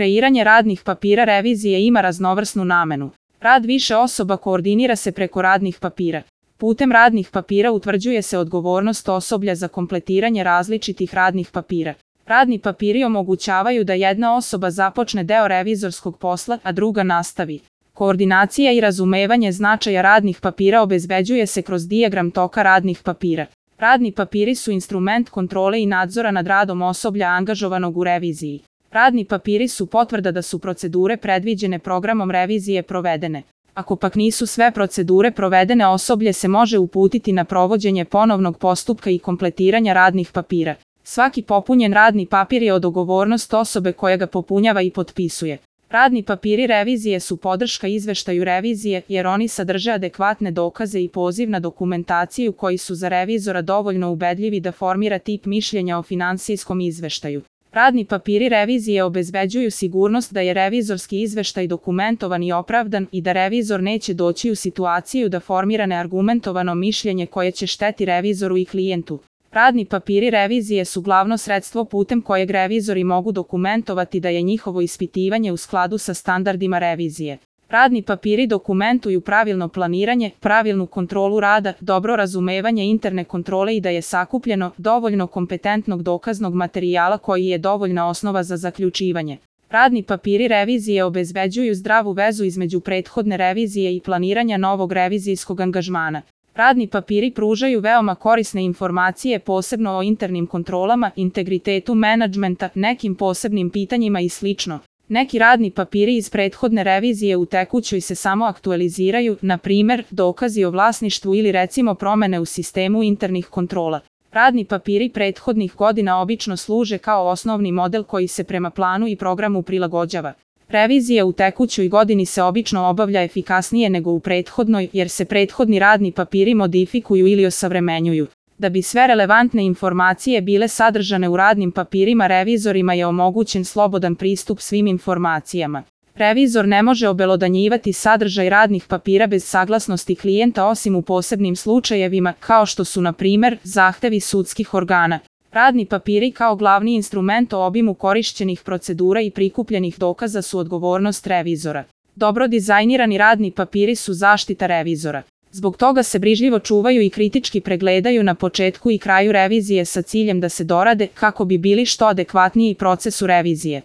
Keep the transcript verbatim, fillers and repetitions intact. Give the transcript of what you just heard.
Kreiranje radnih papira revizije ima raznovrsnu namenu. Rad više osoba koordinira se preko radnih papira. Putem radnih papira utvrđuje se odgovornost osoblja za kompletiranje različitih radnih papira. Radni papiri omogućavaju da jedna osoba započne deo revizorskog posla, a druga nastavi. Koordinacija i razumevanje značaja radnih papira obezbeđuje se kroz dijagram toka radnih papira. Radni papiri su instrument kontrole i nadzora nad radom osoblja angažovanog u reviziji. Radni papiri su potvrda da su procedure predviđene programom revizije provedene. Ako pak nisu sve procedure provedene, osoblje se može uputiti na provođenje ponovnog postupka i kompletiranja radnih papira. Svaki popunjen radni papir je odgovornost osobe koja ga popunjava i potpisuje. Radni papiri revizije su podrška izveštaju revizije jer oni sadrže adekvatne dokaze i poziv na dokumentaciju koji su za revizora dovoljno ubedljivi da formira tip mišljenja o finansijskom izveštaju. Radni papiri revizije obezbeđuju sigurnost da je revizorski izveštaj dokumentovan i opravdan i da revizor neće doći u situaciju da formira neargumentovano mišljenje koje će šteti revizoru i klijentu. Radni papiri revizije su glavno sredstvo putem kojeg revizori mogu dokumentovati da je njihovo ispitivanje u skladu sa standardima revizije. Radni papiri dokumentuju pravilno planiranje, pravilnu kontrolu rada, dobro razumevanje interne kontrole i da je sakupljeno dovoljno kompetentnog dokaznog materijala koji je dovoljna osnova za zaključivanje. Radni papiri revizije obezbeđuju zdravu vezu između prethodne revizije i planiranja novog revizijskog angažmana. Radni papiri pružaju veoma korisne informacije posebno o internim kontrolama, integritetu menadžmenta, nekim posebnim pitanjima i slično. Neki radni papiri iz prethodne revizije u tekućoj se samo aktualiziraju, na primer, dokazi o vlasništvu ili recimo promene u sistemu internih kontrola. Radni papiri prethodnih godina obično služe kao osnovni model koji se prema planu i programu prilagođava. Revizija u tekućoj godini se obično obavlja efikasnije nego u prethodnoj jer se prethodni radni papiri modifikuju ili osavremenjuju. Da bi sve relevantne informacije bile sadržane u radnim papirima, revizorima je omogućen slobodan pristup svim informacijama. Revizor ne može obelodanjivati sadržaj radnih papira bez saglasnosti klijenta osim u posebnim slučajevima kao što su na primer zahtevi sudskih organa. Radni papiri kao glavni instrument o obimu korišćenih procedura i prikupljenih dokaza su odgovornost revizora. Dobro dizajnirani radni papiri su zaštita revizora. Zbog toga se brižljivo čuvaju i kritički pregledaju na početku i kraju revizije sa ciljem da se dorade kako bi bili što adekvatniji procesu revizije.